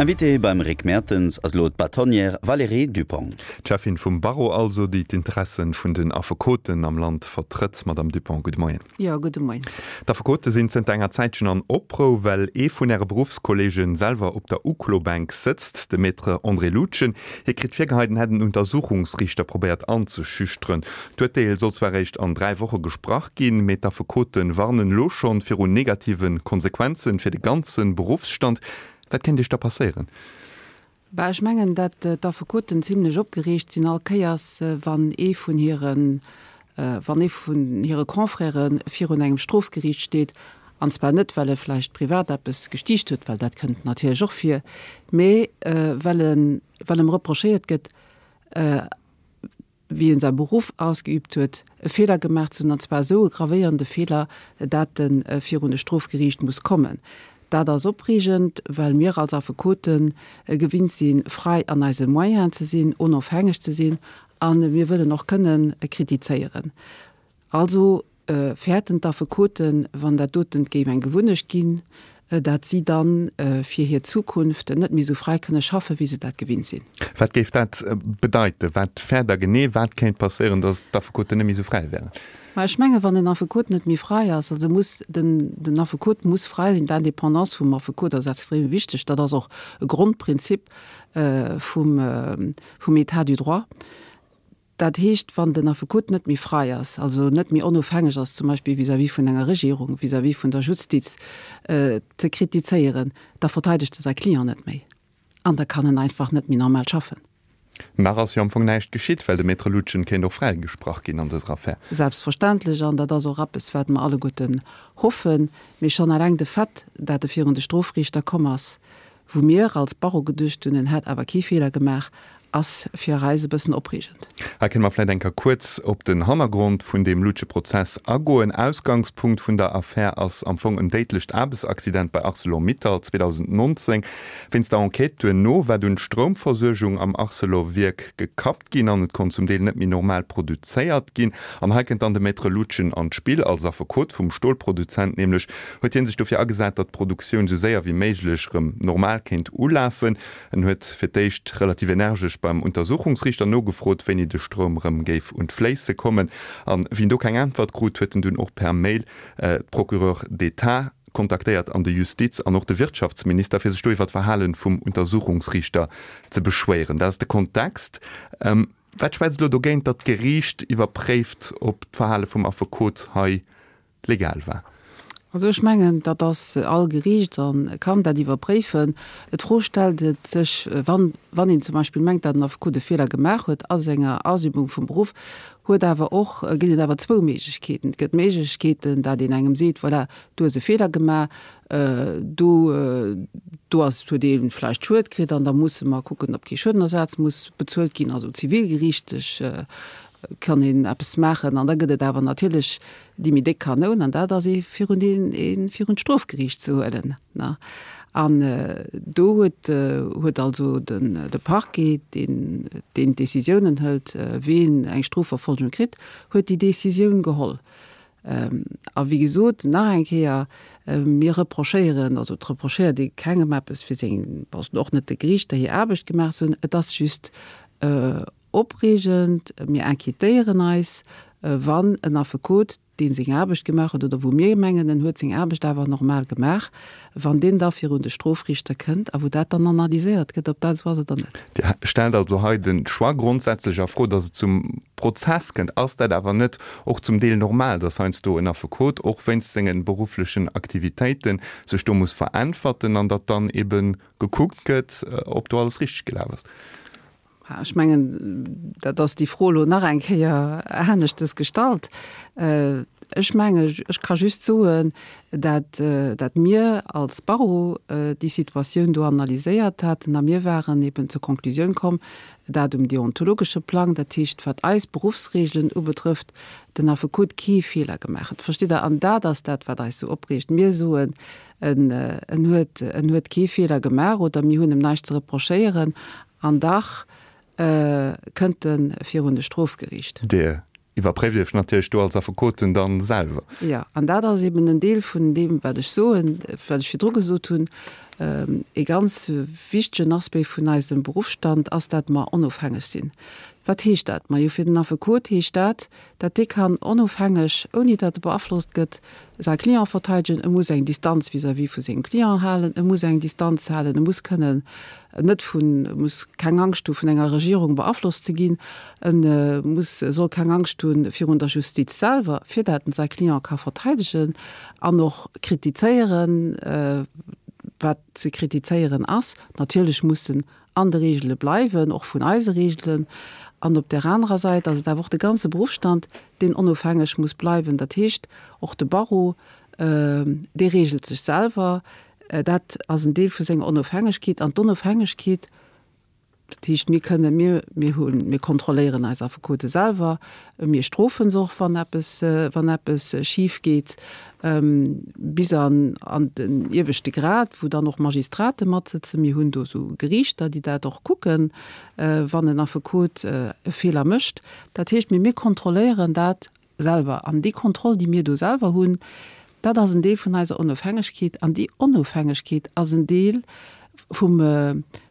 Invitée beim Rick Mertens ass elo d'Bâtonnière Valérie Dupong. D'Cheffin vum Barreau also, déi d'Interessen vun den Affekoten am Land vertrëtt. Madame Dupong, gudde Moien. Jo, gudde Moien. D'Affekote sinn zënter enger Zäitchen an Oprou, well ee vun Äre Beruffskolleegen selwer op der Uklobänk sëtzt, de Maître André Lutgen. Hie kritt virgeheit, en hätt en Untersuchungsriichter probéiert anzeschüchteren. D'Urteel soll zwar eréischt an 3 Woche gesprach ginn, mee d'Affekote warnen elo schonn virun negative Konsequenze fir de ganze Beruffsstand. Wat kéint Iech da passéieren? Bah, ech mengen, dat d'Affekoten zimlech opgereegt sinn all Kéiers, wann ee vun hiren, wann ee vun hire Confrèrë virun engem Strofgeriicht steet, an zwar net, well e vläicht privat eppes gestiicht huet, well dat kënnt natierlech och vir, mee well en, well em reprochéiert gëtt, wéi en säi Beruff ausgeübt huet, e Feeler gemaach ze hunn, an zwar esou e gravéierende Feeler, dat e virun e Strofgeriicht muss kommen. Dat ass opreegend, well mir als Affekote gewinnt sinn, frei an eise Moyenen ze sinn, onofhängeg ze sinn, a mir wëllen och kënnen kritizéieren. Also fäerten d'Affekoten, wann dat doten géif eng Gewunnecht ginn, dat si dann fir hir Zukunft net méi esou fräi kënne schaffen, wéi se dat gewinnt sinn. Wat géif dat bedeiten? Wat fäert Der genee? Wat kéint passéieren, datt d'Affekoten net méi esou fräi wären? Ma ech mengen, wann en Affekot net méi fräi ass, also muss den, den Affekot muss fräi sinn, d'Indépendance vum Affekot ass extrem wichteg, dat ass och e Grondprinzip vum, vum État du droit. Dat heescht, wann den Affekot net méi frai ass, also net méi onofhängeg ass, zum Beispill vis-à-vis vun enger Regierung, vis-à-vis vun der Justiz, ze kritizéieren, da verteidegt e säi Client net méi an da kann en einfach net méi normal schaffen. Nach ass jo am Fong näischt geschitt, well de Maître Lutgen kéint och fräigesprach ginn an dëser Affär. Selbstverständlech, an dat ass och eppes, wat mer alleguerten hoffen. Mee schonn eleng de Fait, dat e virun de Strofriichter komm ass, Wou mir als Barreau geduecht hunn, en hätt awer kee Feeler gemaach, ass fir eis e bëssen opreegend. Hei kënne mer vläit eng Kéier kuerz op den Hannergrond vun deem Lutge-Prozess agoen. Ausgangspunkt vun der Affär ass am Fong en déidlecht Aarbechtsaccident bei Arcelor-Mittal 2019. Wéinst der Enquête duerno war dunn d'Stroumversuergung am Arcelor-Wierk gekappt ginn an et konnt zum Deel net méi normal produzéiert ginn. An hei kënnt dann de Maître Lutgen an d'Spill, als Affekot vum Stolproduzent nämlech. Huet hien sech dofir agesat, datt d'Produktioun sou séier wéi méiglech rëm normal kéint ulafen. En huet fir d'éischt relativ energesch beim Untersuchungsriichter nogefrot, wéini de Stroum rëm géif un d'Fléisse kommen. An wéi en do keng Äntwert krut, huet en dunn och per Mail d'Procureur d'État kontaktéiert an de Justiz an och de Wirtschaftsminister, fir sech do iwwer d'Verhale vum Untersuchungsriichter ze beschwéieren. Dat ass de Kontext. Wat schwätzt elo dogéint, datt d'Geriicht iwwerpréift, ob d'Verhale vum Affekot hei legal war? Also ech mengen, dat ass all Geriicht a kann dat iwwerpréifen. D'Fro stellt et sech, wann, wann een zum Beispill mengt, datt en Affekot e Feeler gemaach huet a senger Ausübung vum Beruff, huet awer och, ginn et awer zwou Méiglechkeeten. Et gëtt Méiglechkeeten, dat een engem seet, voilà, du hues e Feeler gemaach, do, do ass, huet ee vläicht Schued kritt an da musse mer kucken, ob kee Schuedenersaz muss bezuelt ginn, also zivilgeriichtlech kann een eppes maachen. An da gëtt et awer natierlech déi méi déck Kanoun, an dat ass ee virun deen ee virun d'Strofgeriicht ze huelen, ne. An do huet huet also den de Parquet, deen deen d'Décisiounen hëlt, ween eng Strofverfolgung kritt, huet déi Décisioun geholl. A wéi gesot, nach eng Kéier, mir reprochéieren, also et reprochéiert ee kengem eppes fir seng, also och net de Geriichter hir Aarbecht gemaach ze hunn, et ass just Opreegend, mir inquietéieren eis, wann en Affekot, dee seng Aarbecht gemaach huet, oder wou mir mengen, en huet seng Aarbecht awer normal gemaach, wann deen da virun de Strofriichter kënnt a wou dat dann analyséiert gëtt, ob dat esou ass oder net. Dir stellt also hei de Choix grondsätzlech a Fro, datt et zum Prozess kënnt. Ass dat awer net och zum Deel normal, datt heiansdo en Affekot och wéinst senge berufflechen Aktivitéiten sech do muss veräntwerten an datt dann ebe gekuckt gëtt, ob do alles richteg gelaf ass? Ech mengen, dat ass déi Fro elo nach eng Kéier aneschtes gestallt. Ech mengen, ech ka just soen, dat, dat mir als Barreau déi Situatioun do analyséiert haten a mir waren eben zur Konklusioun komm, dat um deontologesche Plang, dat heescht wat eis Beruffsregelen ubetrëfft, den Affekot kee Feeler gemaach huet. Verstitt Der? An dat ass dat, wat eis esou opreegt. Mir soen, en, en huet, en huet kee Feeler gemaach oder mir hunn em näischt ze reprochéieren An dach kënnt e virun de Strofgeriicht. Dir. Iwwerpréift Iech natierlech do als Affekoten dann selwer. Jo, an dat ass eben en Deel vun deem, wat ech soen, wat ech virdru gesot hunn. E ganz wichtegen Aspect vun eisem Beruffsstand ass, dat mer onofhängeg sinn. Wat heescht dat? Majo, fir den Affekot heescht dat, dat dee kann onofhängeg, ouni dat e beaflosst gëtt, säi Client verteidegen. E muss eng Distanz vis-à-vis vu sengem Client halen, e muss eng Distanz halen, e muss kënnen net vun, e muss keng Angscht hu vun enger Regierung beaflosst ze ginn, e muss, soll keng Angscht hu virun der Justiz selwer, fir dat en säi Client ka verteidegen an och kritizéieren, wat ze kritizéieren ass. Natierlech muss en an de Regele bleiwen, och vun eise Regelen. An op där anerer Säit ass et awer och de ganze Beruffsstand, deen onofhängeg muss bleiwen. Dat heescht, och de Barreau, dee regelt sech selwer. Dat ass en Deel vu senger Onofhängegkeet. An d'Onofhängegkeet, dat heescht, mir kënnen, mir, mir hunn, mir kontrolléieren eis Affekote selwer, mir strofe se och, wann eppes, wann eppes schif geet, bis an, an den ieweschte Grad, wou dann och Magistrate matsëtzen. Mir hunn do esou Geriichter, déi dat och kucken, wann en Affekot e Feeler mécht. Dat heescht, mee mir kontrolléieren dat selwer. An déi Kontroll, déi mir do selwer hunn, dat ass en Deel vun eiser Onofhängegkeet. An déi Onofhängegkeet ass en Deel vum,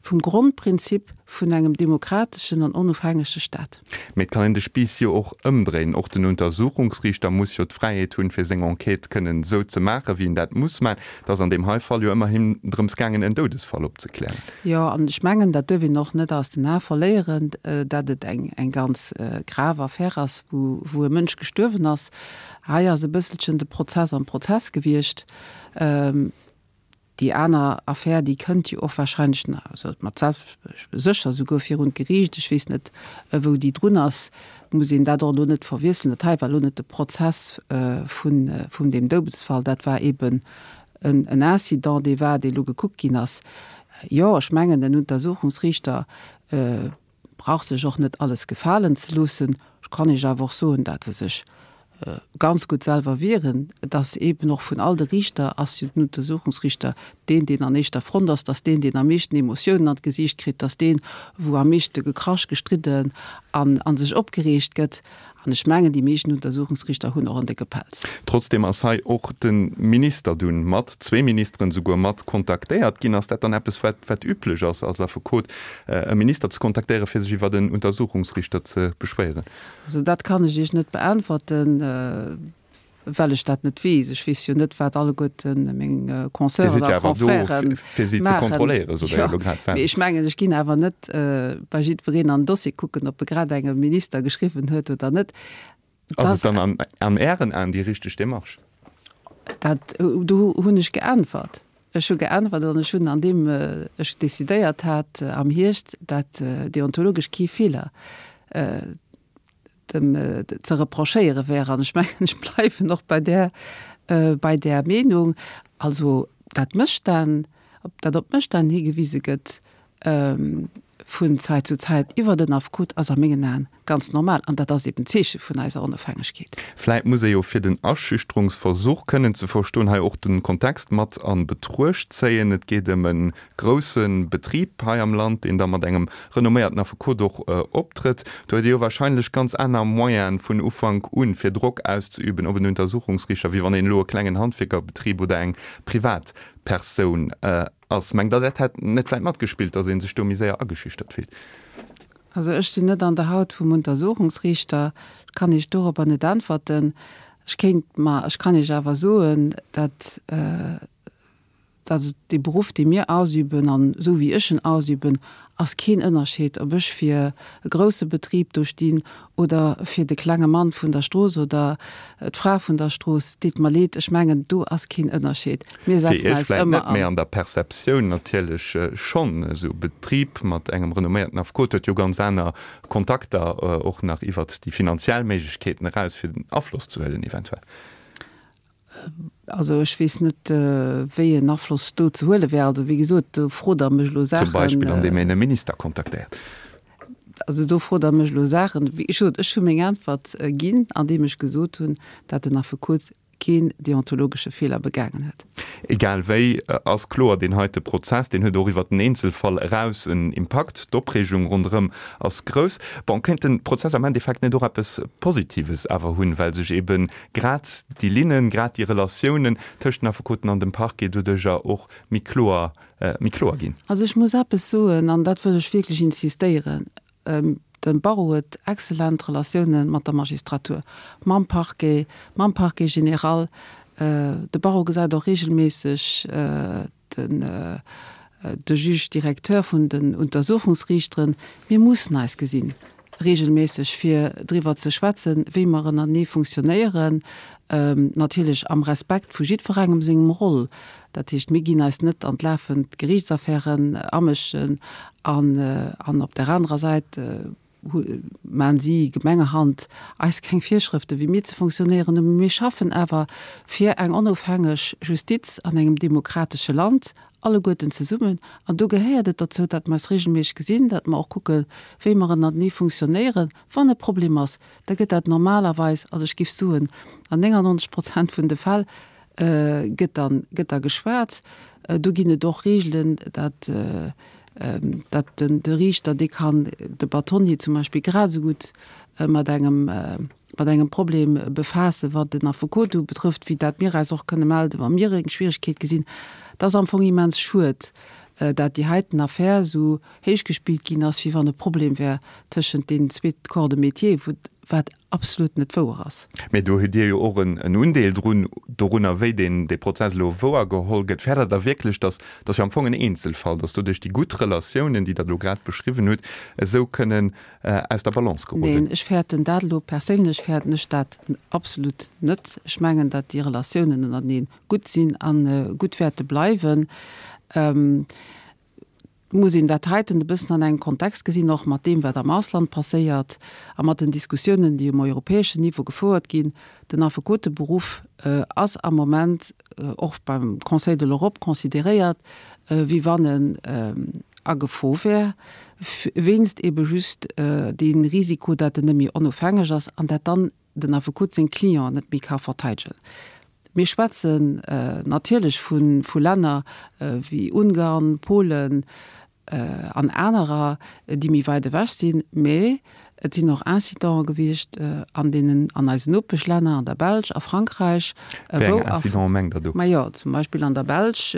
vum Grondprinzip vun engem demokrateschen an onofhängege Staat. Mee et kann een de Spiiss jo och ëmdréinen. Och den Untersuchungsriichter muss jo d'Fräiheet hunn, fir seng Enquête kënnen esou ze maachen, wéi en dat muss maachen. Et ass an deem hei Fall jo ëmmerhin drëms gaangen, en Doudesfall opzeklären. Jo, an ech mengen, dat duerf een och net aus den Ae verléieren, dat et eng, eng ganz grav Affär ass, wou, wou e Mënsch gestuerwen ass. Hei ass e bësselchen de Prozess am Prozess gewiescht. Déi aner Affär, déi kënnt jo och wahrscheinlech nach, also mat sécher souguer virun d'Geriicht, ech weess net, wou déi drun ass, muss een dat och elo net verwiesselen. Dat hei war elo net de Prozess vun, vun deem Doudesfall, dat war eeben en Incident, dee war, dee elo gekuckt ginn ass. Jo, ech mengen, den Untersuchungsriichter brauch sech och net alles gefalen ze loossen. Ech kann Iech awer och soen, dat se sech ganz gutt selwer wieren. Et ass eeben och vun all de Riichter ass jo den Untersuchungsriichter deen, deen an éischter Front ass, dass deen, deen am meeschten Emotiounen an d'Gesiicht kritt, dass deen, wou am meeschte gekrasch, gestridden an a sech opgereegt gëtt. An ech mengen, déi meeschten Untersuchungsriichter hunn och en décke Pelz. Trotzdem ass hei och de Minister dunn mat, zwee Ministeren esouguer, mat kontaktéiert ginn. Ass dat dann eppes, wat, wat üblech ass als Affekot, e Minister ze kontaktéieren, fir sech iwwert en Untersuchungsriichter ze beschwéieren? Also dat kann ech Iech net beäntwerten, well ech dat net weess. Ech weess jo net, wat alleguerten meng Consoeuren a Confrèren maachen. Mee ech mengen, ech ginn awer net bei jiddwereen an den Dossier kucken, ob e grad engem Minister geschriwwen huet oder net. Ass et dann an Ären Aen déi richteg Démarche? Dat, do hunn ech geäntwert. Ech hu geäntwert an ech hunn, andeem ech decidéiert hat am Hierscht, dat deontologesch kee Feeler dem ze reprochéiere wär. An ech mengen, ech bleiwen och bei där, bei där Meenung. Also dat Mësstänn, dat op Mësstänn higewise gëtt vun Zäit zu Zäit iwwer den Affekot, ass a mengen Aen ganz normal. An dat ass eben d'Zeeche vun eiser Onofhängegkeet. Vläit muss ee jo fir den Aschüchterungsversuch kënnen ze verstoen hei och de Kontext mat a Betruecht zéien. Et geet ëm e grousse Betrib hei am Land, deen da mat engem renomméierten Affekot och optrëtt. Do huet ee jo wahrscheinlech ganz aner Moyene vun Ufank un, fir Drock auszeüben op en Untersuchungsriichter, wéi wann een elo e klengen Handwierkerbetrib oder eng Privatpersoun ass. Mengt Der, dat hätt net vläit matgespillt, datt ee sech do méi séier ageschüchtert fillt? Also ech sinn net an der Haut vum Untersuchungsriichter, ech kann Iech dorobber net äntwerten. Ech kéint mer, ech kann Iech awer soen, datt, datt et dee Beruff, dee mir ausüben an esou wéi ech en ausüben, ass keen Ënnerscheed, ob ech fir e grousse Betrib do stinn oder fir de klenge Mann vun der Strooss oder d'Fra vun der Strooss. Deet mer leed, ech mengen, do ass keen Ënnerscheed. Mir setzen eis ëmmer an. Fir Iech vläicht net, mä an der Perceptioun natierlech schonn. Esou e Betrib mat engem renomméierten Affekot huet jo ganz aner Kontakter, och nach iwwert déi finanziell Méiglechkeeten eraus, fir Afloss ze huelen eventuell. Also ech weess net, wéi en Afloss do ze huele wär. Also wéi gesot, do frot Der mech elo Saachen. Zum Beispill andeem een e Minister kontaktéiert. Also do frot Der mech elo Saachen. Wéi gesot, ech hu meng Äntwert ginn, andeem ech gesot hunn, dat den Affekot. keen deontologesche Feeler begaangen huet. Egal wéi ass kloer, deen heite Prozess, deen huet och iwwert den Eenzelfall eraus en Impakt. D'Opreegung ronderëm ass grouss. Bon, kéint de Prozess am Endeffekt net och eppes Positives awer hunn, well sech ebe grad déi Linnen, grad déi Relatiounen tëscht den Affekoten an dem Parquet doduercher och méi kloer, méi kloer ginn? Also ech muss eppes soen, an dat wëll ech wierklech insistéieren, De Barreau huet excellent Relatioune mat der Magistratur, mam Parquet, mam Parquet général. De Barreau gesäit och regelméisseg den de Juge directeur vun den Untersuchungsriichteren. Mir mussen eis gesinn regelméisseg, fir driwwer ze schwätzen, wéi mer ënnertenee funktionéieren, natierlech am Respekt vu jiddwerengem sengem Roll. Dat heescht, mir ginn eis net an d'lafend Geriichtsaffären amëschen an, an op där anerer Säit maachen si gemengerhand eis keng Virschrëften, wéi mir ze fonctionnéieren hunn. Mee mir schaffen awer fir eng onofhängeg Justiz an engem demokratesche Land, alleguerten zesummen. An do gehéiert et dozou, datt mer eis regelméisseg gesinn, datt mer och kucken, wéi mer ënnertenee fonctionnéieren. Wann e Problem ass, da gëtt dat normalerweis, also ech géif soen, an 99 Prozent vun de Fäll, gëtt dann, gëtt da geschwat. Do ginn et och Regeln, dat, dat den, de Riichter, dee kann de Bâtonnier zum Beispill grad esou gutt mat engem, mat engem Problem befaassen, wat den Affekot ubetrëfft, wéi dat mir eis och kënne melden, wa mir eng Schwierigkeet gesinn. Et ass am Fong immens schued, dat déi heiten Affär esou héichgespillt ginn ass, wéi wann e Problem wär tëschent deenen zweet Corps de métier, wou, wat absolut net wouer ass. Mee do hutt Dir jo och en Undeel drun, dorunner, wéi deen dee Prozess elo wouergeholl gëtt. Fäert Der da wierklech, datt, dat ass jo am Fong en Eenzelfall, datt doduerch déi gutt Relatiounen, déi Der elo grad beschriwwen hutt, esou kënnen aus der Balance geroden? Neen, ech fäerten dat elo, perséinlech fäerten ech dat absolut net. Ech mengen, datt déi Relatiounen ënnerteneen gutt sinn a gutt wäerte bleiwen. Et muss een dat heiten e bëssen an engem Kontext gesinn, och mat deem, wat am Ausland passéiert a mat den Diskussiounen, déi um europäeschen Niveau gefouert ginn. Den Affekoteberuff ass am Moment och beim Conseil de l'Europe consideréiert, wéi wann en a Gefor wär, wéinst ebe just dee Risiko, dat en net méi onofhängeg ass an dat dann den Affekot seng Clienten net méi ka verteidegen. Mir schwätzen natierlech vu Länner wéi Ungarn, Polen an anerer, déi méi weit ewech sinn, mä et sinn och Incidente gewiescht an deenen, an eisen Nopeschlänner, an der Belsch, a Frankräich. Wéi eng Incidenten mengt Der do? Majo, zum Beispill an der Belsch,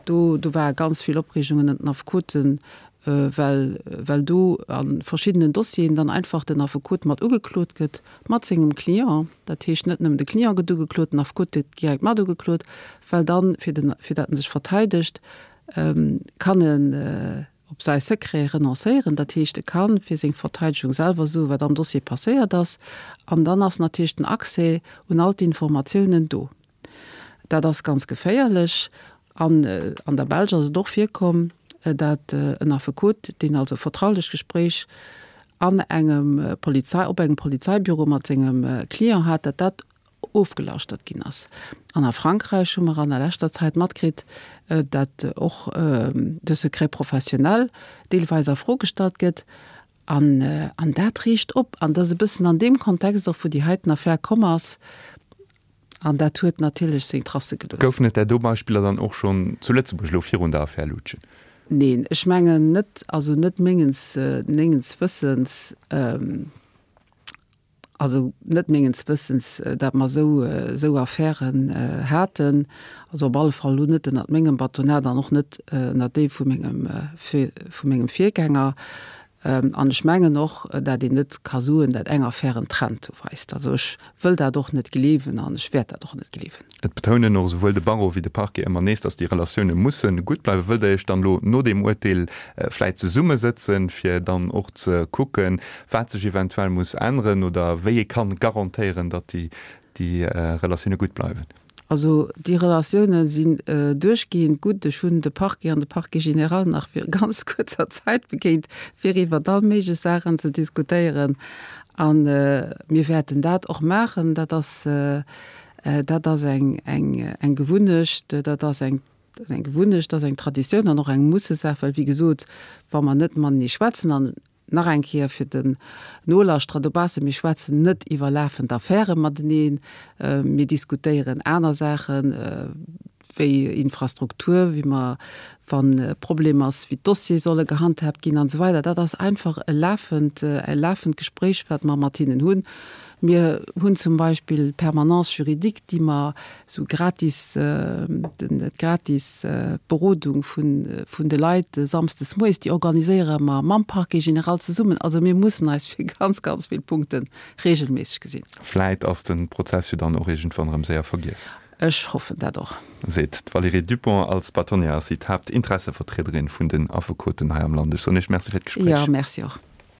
do do ware ganz vill Opreegungen ënner den Affekoten, well well do a verschiddenen Dossieren dann einfach den Affekot mat ugeklot gëtt mat sengem Client. Dat heescht, net nëmmen de Client gëtt ugeklot, den Affekot gëtt direkt mat ugeklot, well dann, fir den fir dat en sech verteidegt, kann en op säi Secret renoncéieren. Dat heescht, e ka fir seng Verteidegung selwer soen, wat am Dossier passéiert ass, an dann ass natierlech den Accès un all d'Informatiounen do. Dat ass ganz geféierlech. An an der Belsch ass et och virkomm, dat en Affekot, deen also e vertraulecht Gespréich an engem Polizei, op engem Polizeibüro mat sengem Client hat, dat dat ofgelauschtert ginn ass. An a Frankräich hu mer an der leschter Zäit matkritt, dat och de Secret professionnel deelweis a Fro gestallt gëtt. An, an dat reegt op. An dat ass e bëssen an deem Kontext och, wou déi heiten Affär komm ass. An dat huet natierlech seng Tracë gelooss. Goufen et där do Beispiller dann och schonn zu Lëtzebuerg elo virun der Affär Lutgen? Neen, ech mengen net. Also net mengens, mengens Wëssens. Also net mengens Wëssens, datt mer esou, esou Affären haten. Also op alle Fall elo net ënnert mengem Batonnat an och net ënnert deem vu mengem, vu mengem Virgänger. An ech mengen och, dat een net ka soen, dat eng Affär en Trend weist. Also ech wëll dat och net gleewen an ech wäert dat och net gleewen. Et betounen och esouwuel de Barreau wéi de Parquet ëmmer nees, datt déi Relatioune musse gutt bleiwen. Wëllt Der Iech dann elo no deem Urteel vläit zesummesëtzen, fir dann och ze kucken, wat sech eventuell muss änneren oder wéi ee kann garantéieren, datt déi déi Relatioune gutt bleiwen? Also déi Relatioune sinn duerchgehend gutt. Ech hunn de Parquet an de Parquet général nach viru ganz kuerzer Zäit begéint, fir iwwert all méiglech Saachen ze diskutéieren. A mir wäerten dat och maachen. Dat ass, dat ass eng, eng, eng Gewunnecht, dat ass eng, eng Gewunnecht, dat ass eng Traditioun an och eng Mussesaach, well wéi gesot, wa mer net matenee schwätzen an. Nach eng Kéier fir den Nolauschterer dobaussen, Mir schwätzen net iwwer lafend Affäre mateneen. Mir diskutéieren aner Saachen, wéi Infrastruktur, wéi mer, wann e Problem ass, wéi d'Dossiere solle gehandhaabt ginn an esou weider. Dat ass einfach e lafend, e lafend Gespréich, wat mer mat hinnen hunn. Mir hunn zum Beispill d'Permanence juridique, déi mer esou gratis, d'gratis Berodung vun de Leit samsdes moies, déi organiséiere mer mam Parquet général zesummen. Also mir mussen eis fir ganz, ganz vill Punkte regelméisseg gesinn. Vläit ass de Prozess jo dann och iergendwann erëm séier vergiess. Ech hoffen dat och. Seet d'Valérie Dupong. Als Bâtonnière ass si d'Haaptinteressevertriederin vun den Affekoten hei am Land. Ech soen Iech Merci fir d'Gespréich. Jo, Merci och.